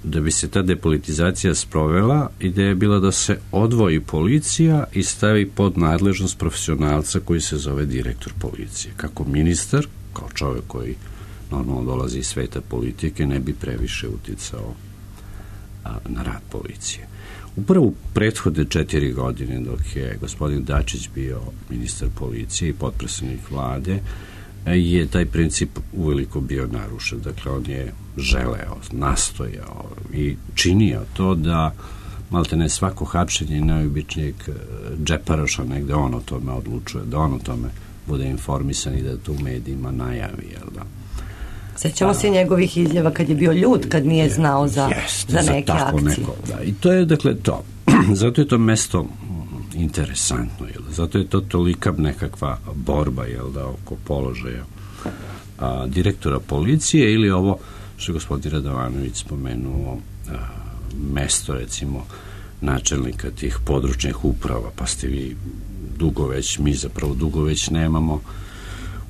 da bi se ta depolitizacija sprovela, ideja je bila da se odvoji policija i stavi pod nadležnost profesionalca koji se zove direktor policije. Kako ministar, kao čovjek koji normalno dolazi iz sveta politike, ne bi previše uticao a, na rad policije. Upravo u prethodne četiri godine, dok je gospodin Dačić bio ministar policije i potpredsednik vlade, je taj princip uveliko bio narušen. Dakle, on je želeo, nastojao i činio to da malte ne svako hapšenje najobičnijeg džeparoša negde on o tome odlučuje, da on o tome bude informisan i da to u medijima najavi, jel da? Sećamo se njegovih izjava kad je bio ljud, kad nije znao za, Jeste, za neke za akcije. Neko, da. I to je, dakle, to. Zato je to mesto interesantno, jel? Zato je to tolika nekakva borba, jel da, oko položaja a, direktora policije ili ovo što je gospodin Radovanović spomenuo, a, mesto, recimo, načelnika tih područnih uprava, pa ste vi dugo već, mi zapravo dugo već nemamo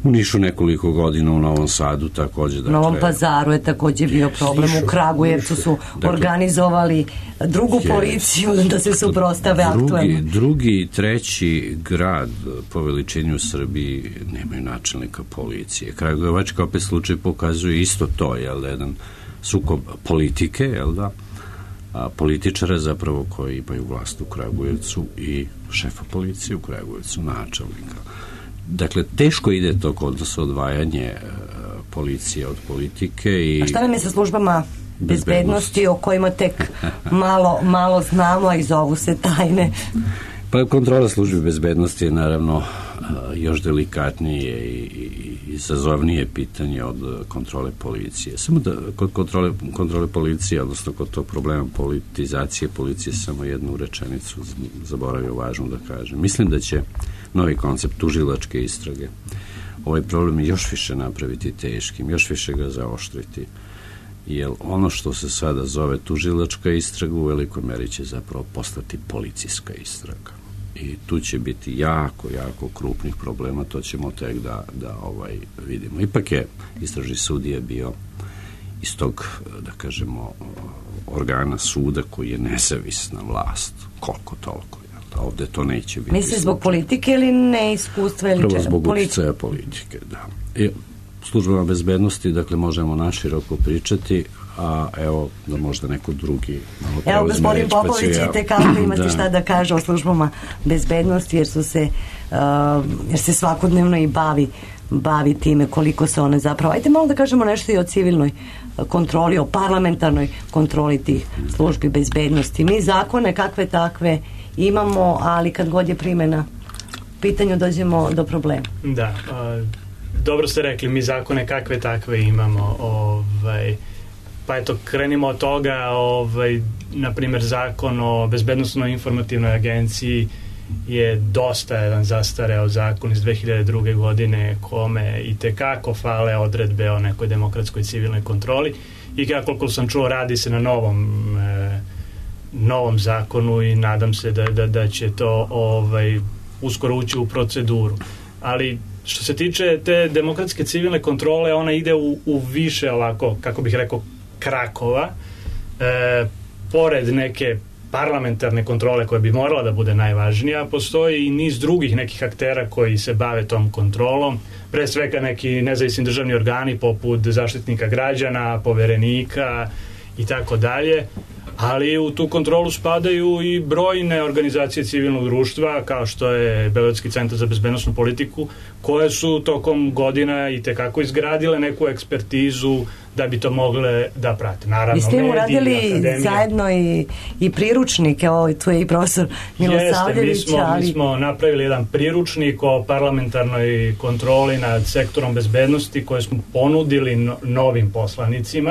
U Nišu nekoliko godina, u Novom Sadu takođe. Dakle, u Novom Pazaru je takođe bio problem, u Kragujevcu su dakle, organizovali drugu je, policiju da se suprostave aktualno. Drugi i treći grad po veličini u Srbiji nemaju načelnika policije. Kragujevačka opet slučaj pokazuje isto to, jel da, jedan sukob politike, jel da, a političara zapravo koji imaju vlast u Kragujevcu i šefa policije u Kragujevcu, načelnika. Dakle, teško ide to kod nas odvajanje policije od politike. I a šta nam je sa službama bezbednosti o kojima tek malo, malo znamo, a i zovu se tajne? Pa kontrola službi bezbednosti je naravno još delikatnije i izazovnije pitanje od kontrole policije. Samo da kod kontrole, kontrole policije, odnosno kod tog problema politizacije policije, samo jednu rečenicu zaboravio važno da kažem. Mislim da će novi koncept tužilačke istrage ovaj problem još više napraviti teškim, još više ga zaoštriti. Jer ono što se sada zove tužilačka istraga u velikoj meri će zapravo postati policijska istraga. I tu će biti jako, jako krupnih problema, to ćemo tek da, da ovaj, vidimo. Ipak je istražni sudija bio iz tog, da kažemo, organa suda koji je nezavisna vlast, koliko toliko. Ovde to neće biti. Misli zbog politike ili neiskustva ili čega? Prvo zbog uticaja politike, da. I službama bezbednosti, dakle, možemo naširoko pričati, a evo, da možda neko drugi malo preuzme. Evo, gospodin Popović, i tekako imate da. šta da kaže o službama bezbednosti, jer su se, uh, jer se svakodnevno i bavi bavi time koliko se one zapravo... Ajde malo da kažemo nešto i o civilnoj kontroli, o parlamentarnoj kontroli tih službi bezbednosti. Mi zakone kakve takve imamo, ali kad god je primjena pitanju dođemo do problema. Da, a, dobro ste rekli, mi zakone kakve takve imamo. Ovaj, pa eto, krenimo od toga, ovaj, na primjer, zakon o bezbednosnoj informativnoj agenciji je dosta jedan zastareo zakon iz dve hiljade druge. godine kome i tekako fale odredbe o nekoj demokratskoj civilnoj kontroli i kako sam čuo radi se na novom e, novom zakonu i nadam se da, da, da će to ovaj, uskoro ući u proceduru. Ali što se tiče te demokratske civilne kontrole, ona ide u, u više ovako, kako bih rekao, krakova. E, pored neke parlamentarne kontrole koja bi morala da bude najvažnija, postoji i niz drugih nekih aktera koji se bave tom kontrolom, pre svega neki nezavisni državni organi poput Zaštitnika građana, Poverenika i tako dalje, ali u tu kontrolu spadaju i brojne organizacije civilnog društva kao što je Beogradski centar za bezbednosnu politiku, koje su tokom godina i tekako izgradile neku ekspertizu da bi to mogle da prate. Naravno, vi ste uradili zajedno i, i priručnike, ovo tu je i profesor Milosavljević. Jeste, mi smo, ali... mi smo napravili jedan priručnik o parlamentarnoj kontroli nad sektorom bezbednosti koje smo ponudili no, novim poslanicima,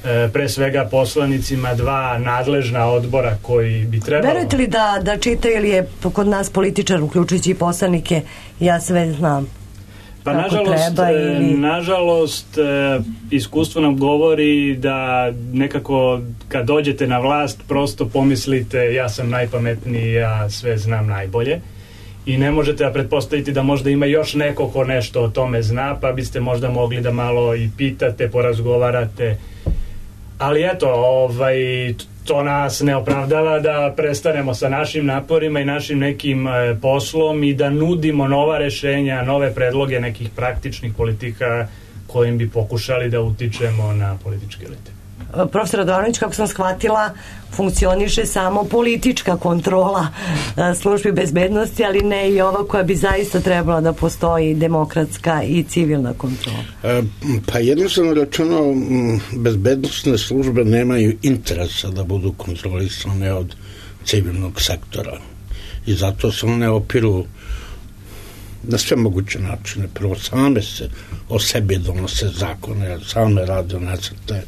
e, pre svega poslanicima dva nadležna odbora koji bi trebalo... Verujete li da, da čitaju ili je kod nas političar, uključujući i poslanike, ja sve znam? Pa nažalost, ili... nažalost iskustvo nam govori da nekako kad dođete na vlast prosto pomislite ja sam najpametniji, ja sve znam najbolje i ne možete da pretpostaviti da možda ima još neko ko nešto o tome zna, pa biste možda mogli da malo i pitate, porazgovarate, ali eto, ovaj, to nas ne opravdava da prestanemo sa našim naporima i našim nekim e, poslom i da nudimo nova rešenja, nove predloge nekih praktičnih politika kojim bi pokušali da utičemo na političke elite. Profesor Radovanović, kako sam shvatila, funkcioniše samo politička kontrola službi bezbednosti, ali ne i ova koja bi zaista trebala da postoji demokratska i civilna kontrola. E, pa jednostavno rečeno, bezbednostne službe nemaju interesa da budu kontrolisane od civilnog sektora i zato se one opiru na sve moguće načine. Prvo, same se o sebi donose zakone, same rade nacrte.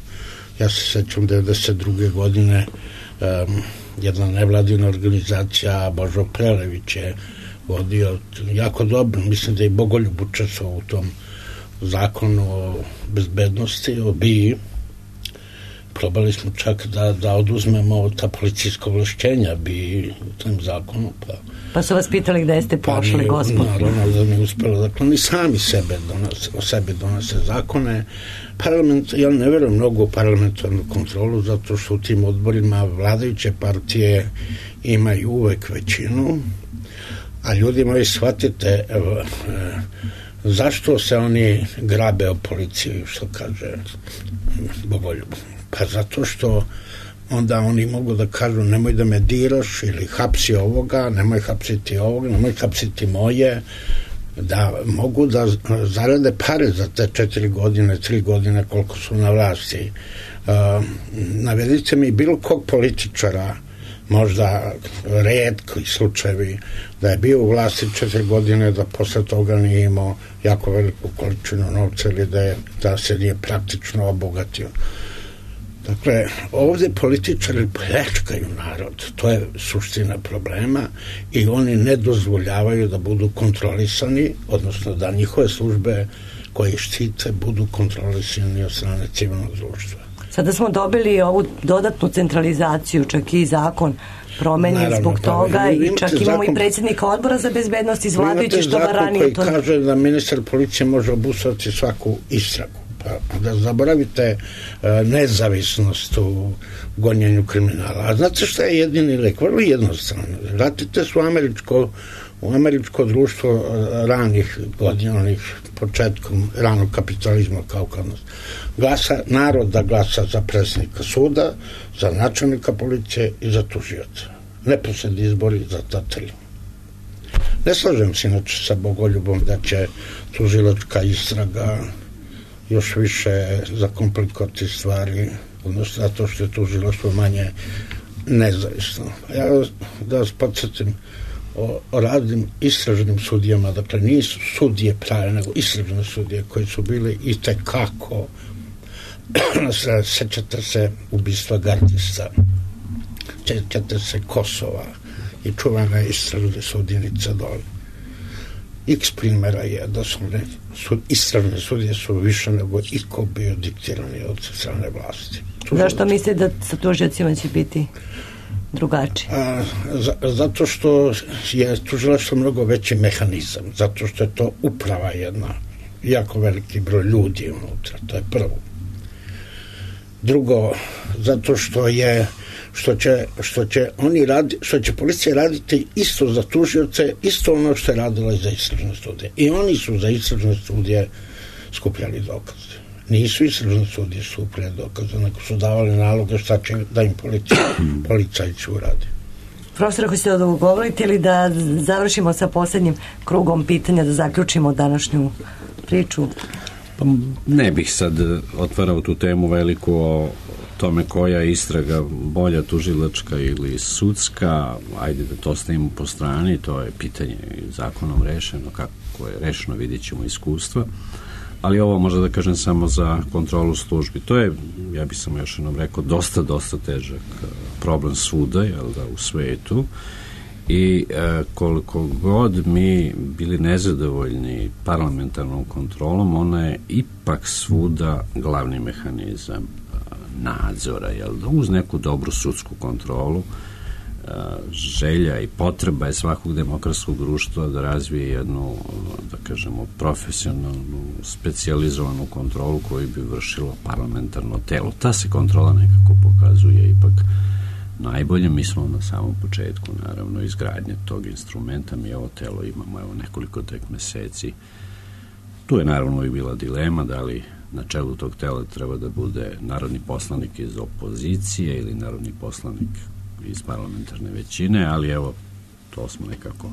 Ja se sećam devedeset druge. godine um, jedna nevladina organizacija, Božo Prelević je vodio jako dobro, mislim da je i Bogoljub učestvovao u tom zakonu o bezbednosti, o B I probali smo čak da, da oduzmemo ta policijska ovlašćenja bi tim zakonom. Pa, pa su vas pitali gde ste pošli, pa gospod? Naravno da mi uspelo. Dakle, oni sami sebe donose, o sebi donose zakone. Parlament, ja ne verujem mnogo u parlamentarnu kontrolu, zato što u tim odborima vladajuće partije imaju uvek većinu, a ljudi moji shvatite, evo, e, zašto se oni grabe o policiji, što kaže Bogoljub? Pa zato što onda oni mogu da kažu nemoj da me diraš ili hapsi ovoga, nemoj hapsiti ovoga, nemoj hapsiti moje, da mogu da zarade pare za te četiri godine, tri godine koliko su na vlasti. Uh, navedite mi bilo kog političara, možda retki slučajevi, da je bio u vlasti četiri godine, da posle toga nije imao jako veliku količinu novca ili da, je, da se nije praktično obogatio. Dakle, ovde političari pljačkaju narod, to je suština problema i oni ne dozvoljavaju da budu kontrolisani, odnosno da njihove službe koje štite budu kontrolisani od strane civilnog društva. Sada smo dobili ovu dodatnu centralizaciju, čak i zakon promenjen Naravno, zbog toga pa, i čak imamo zakon, i predsjednika odbora za bezbednost iz vladajuće što ga ranije. Imate zakon koji to... kaže da ministar policije može obustaviti svaku istragu. Pa da zaboravite uh, nezavisnost u gonjenju kriminala. A znate šta je jedini lek? Vrlo jednostavno. Vratite se u američko, u američko društvo uh, ranih godina, onih početkom ranog kapitalizma kao kod nas. Glasa, narod da glasa za predsjednika suda, za načelnika policije i za tužioca. Neposredni izbori za ta tri. Ne slažem se inače sa Bogoljubom da će tužilačka istraga još više zakomplikovati stvari, odnosno zato što je tužilaštvo manje nezavisno. Ja da vas podsjetim o, o radnim istražnim sudijama, dakle nisu sudije prave, nego istražne sudije koji su bili i tekako sećate se ubistva gardista, sećate se Kosova i čuvana istražne sudjenica dole. X primjera je da su ne, su, istražne sudije su više nego iko bio diktirani od strane vlasti. Zašto mislite da sa tužiocima će biti drugačije? A, za, zato što je tužilaštvo mnogo veći mehanizam, zato što je to uprava jedna, jako veliki broj ljudi unutra, to je prvo. Drugo, zato što je što će, što će oni radi, što će policija raditi isto za tužioce, isto ono što je radila za istražne studije. I oni su za istražne studije skupljali dokaze. Nisu istražne studije skupljali dokaze, nego su davali naloge šta će da im policija, policajci uradi. Profesor, ako ste odgovorite ili da završimo sa posljednjim krugom pitanja, da zaključimo današnju priču? Pa ne bih sad otvarao tu temu veliku o tome koja je istraga bolja, tužilačka ili sudska, ajde da to stavimo po strani, to je pitanje zakonom rešeno, kako je rešeno vidjet ćemo iskustva, ali ovo možda da kažem samo za kontrolu službi. To je, ja bih samo još jednom rekao, dosta, dosta težak problem svuda, jel da, u svetu, i e, koliko god mi bili nezadovoljni parlamentarnom kontrolom, ona je ipak svuda glavni mehanizam nadzora, jel da, uz neku dobru sudsku kontrolu. Želja i potreba je svakog demokratskog društva da razvije jednu, da kažemo, profesionalnu, specijalizovanu kontrolu koju bi vršilo parlamentarno telo. Ta se kontrola nekako pokazuje ipak najbolje. Mi smo na samom početku, naravno, izgradnje tog instrumenta. Mi ovo telo imamo evo nekoliko tek meseci. Tu je naravno i bila dilema da li na čelu tog tela treba da bude narodni poslanik iz opozicije ili narodni poslanik iz parlamentarne većine, ali evo, to smo nekako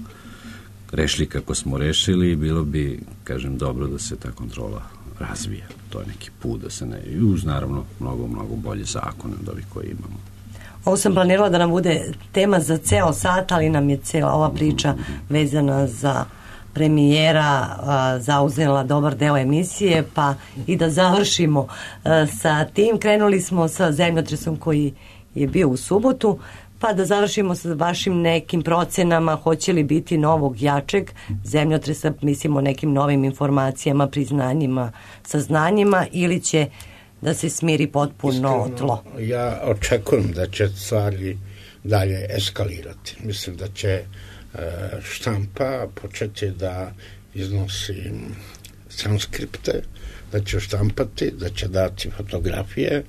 rešili kako smo rešili i bilo bi, kažem, dobro da se ta kontrola razvija. To je neki put da se ne... I uz, naravno, mnogo, mnogo bolje zakone od ovih koji imamo. Ovo sam planirala da nam bude tema za ceo sat, ali nam je cela ova priča vezana za premijera a, zauzela dobar deo emisije, pa i da završimo a, sa tim. Krenuli smo sa zemljotresom koji je bio u subotu, pa da završimo sa vašim nekim procenama, hoće li biti novog jačeg zemljotresa, mislimo nekim novim informacijama, priznanjima, saznanjima, ili će da se smiri potpuno Iskreno, tlo? Ja očekujem da će stvari dalje eskalirati. Mislim da će štampa početi da iznosi transkripte, da će štampati, da će dati fotografije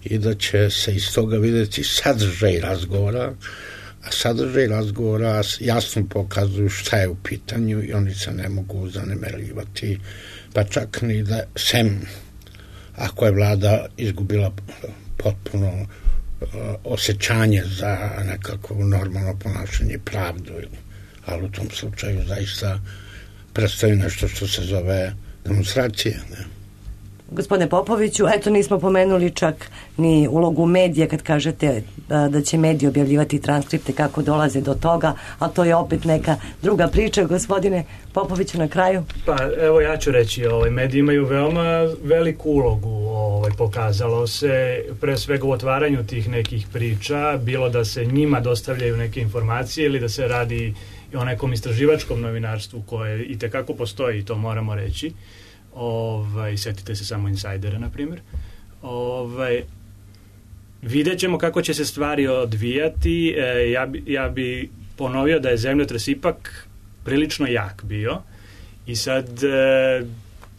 i da će se iz toga vidjeti sadržaj razgovora, a sadržaj razgovora jasno pokazuju šta je u pitanju i oni se ne mogu zanemarivati, pa čak ni da sem ako je vlada izgubila potpuno uh, osjećanje za nekako normalno ponašanje i pravdu, ali u tom slučaju zaista predstavi nešto što se zove demonstracije, ne? Gospodine Popoviću, eto nismo pomenuli čak ni ulogu medija kad kažete da će mediji objavljivati transkripte, kako dolaze do toga, a to je opet neka druga priča. Gospodine Popoviću, na kraju. Pa evo ja ću reći, ovaj, mediji imaju veoma veliku ulogu, ovaj, pokazalo se pre svega u otvaranju tih nekih priča, bilo da se njima dostavljaju neke informacije ili da se radi o nekom istraživačkom novinarstvu koje i tekako postoji, to moramo reći. Ovaj, setite se samo Insajdera, na primjer. Ovaj, vidjet ćemo kako će se stvari odvijati. E, ja, bi, ja bi ponovio da je zemljotres ipak prilično jak bio i sad e,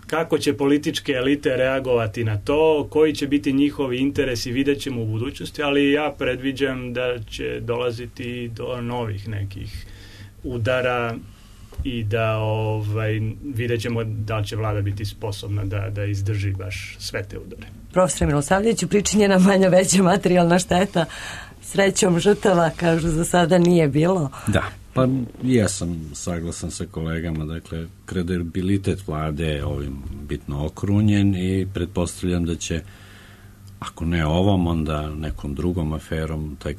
kako će političke elite reagovati na to, koji će biti njihovi interesi, vidjet ćemo u budućnosti, ali ja predviđam da će dolaziti do novih nekih udara i da ovaj, vidjet ćemo da li će vlada biti sposobna da, da izdrži baš sve te udare. Profesor Milosavljeviću, pričinjena manja veća materijalna šteta, srećom žrtava, kažu, za sada nije bilo. Da, pa ja sam saglasan sa kolegama, dakle, kredibilitet vlade je ovim bitno okrunjen i pretpostavljam da će, ako ne ovom, onda nekom drugom aferom, taj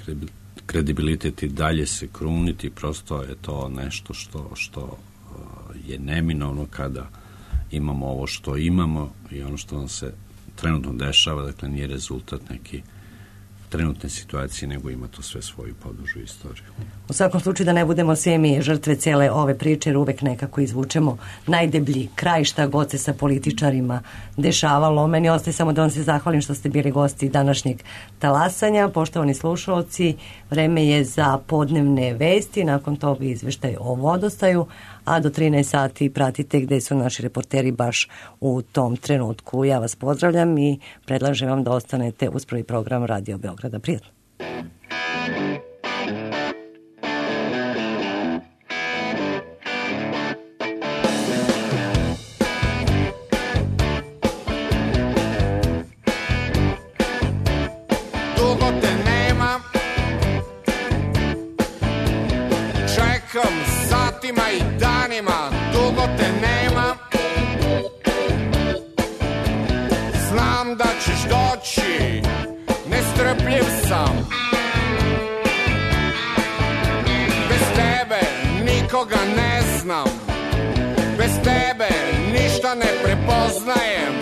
kredibilitet i dalje se kruniti, prosto je to nešto što, što je neminovno kada imamo ovo što imamo i ono što nam se trenutno dešava, dakle nije rezultat neki trenutne situacije, nego ima to sve svoju podužu istoriju. U svakom slučaju da ne budemo svi mi žrtve cele ove priče, jer uvek nekako izvučemo najdeblji kraj šta god se sa političarima dešavalo. Meni ostaje samo da vam se zahvalim što ste bili gosti današnjeg talasanja. Poštovani slušalci, vreme je za podnevne vesti, nakon toga izveštaj o vodostaju, a do trinaest sati pratite gde su naši reporteri baš u tom trenutku. Ja vas pozdravljam i predlažem vam da ostanete uz prvi program Radio Beograda. Prijatno. Dugo te nema, čekam satima i danima, dugo te nema, znam da ćeš doći, nestrpljiv sam, bez tebe nikoga ne znam, bez tebe ništa ne prepoznajem,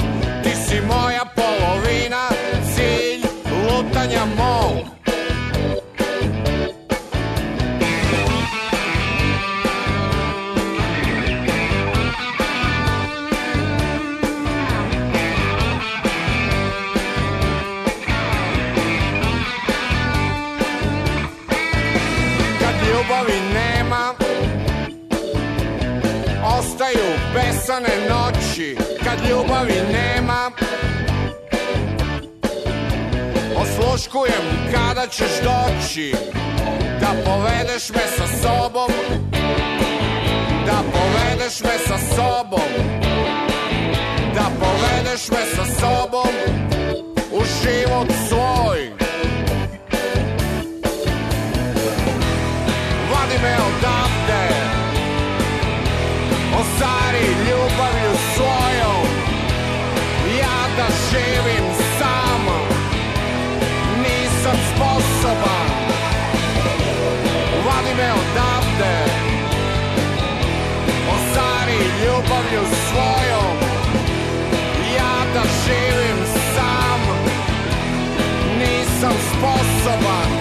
ti si moja polovina, cilj lutanja mog. Ljubavi nema, ostaju besane noći. Kad ljubavi nema, osluškujem kada ćeš doći, da povedeš me sa sobom, da povedeš me sa sobom, da povedeš me sa sobom u život svoj. Vadi me odavde, ostari ljubavlju svojom, ja da živim sam, nisam sposoban. Vadi me odavde, ostari ljubavlju svojom, ja da živim sam, nisam sposoban.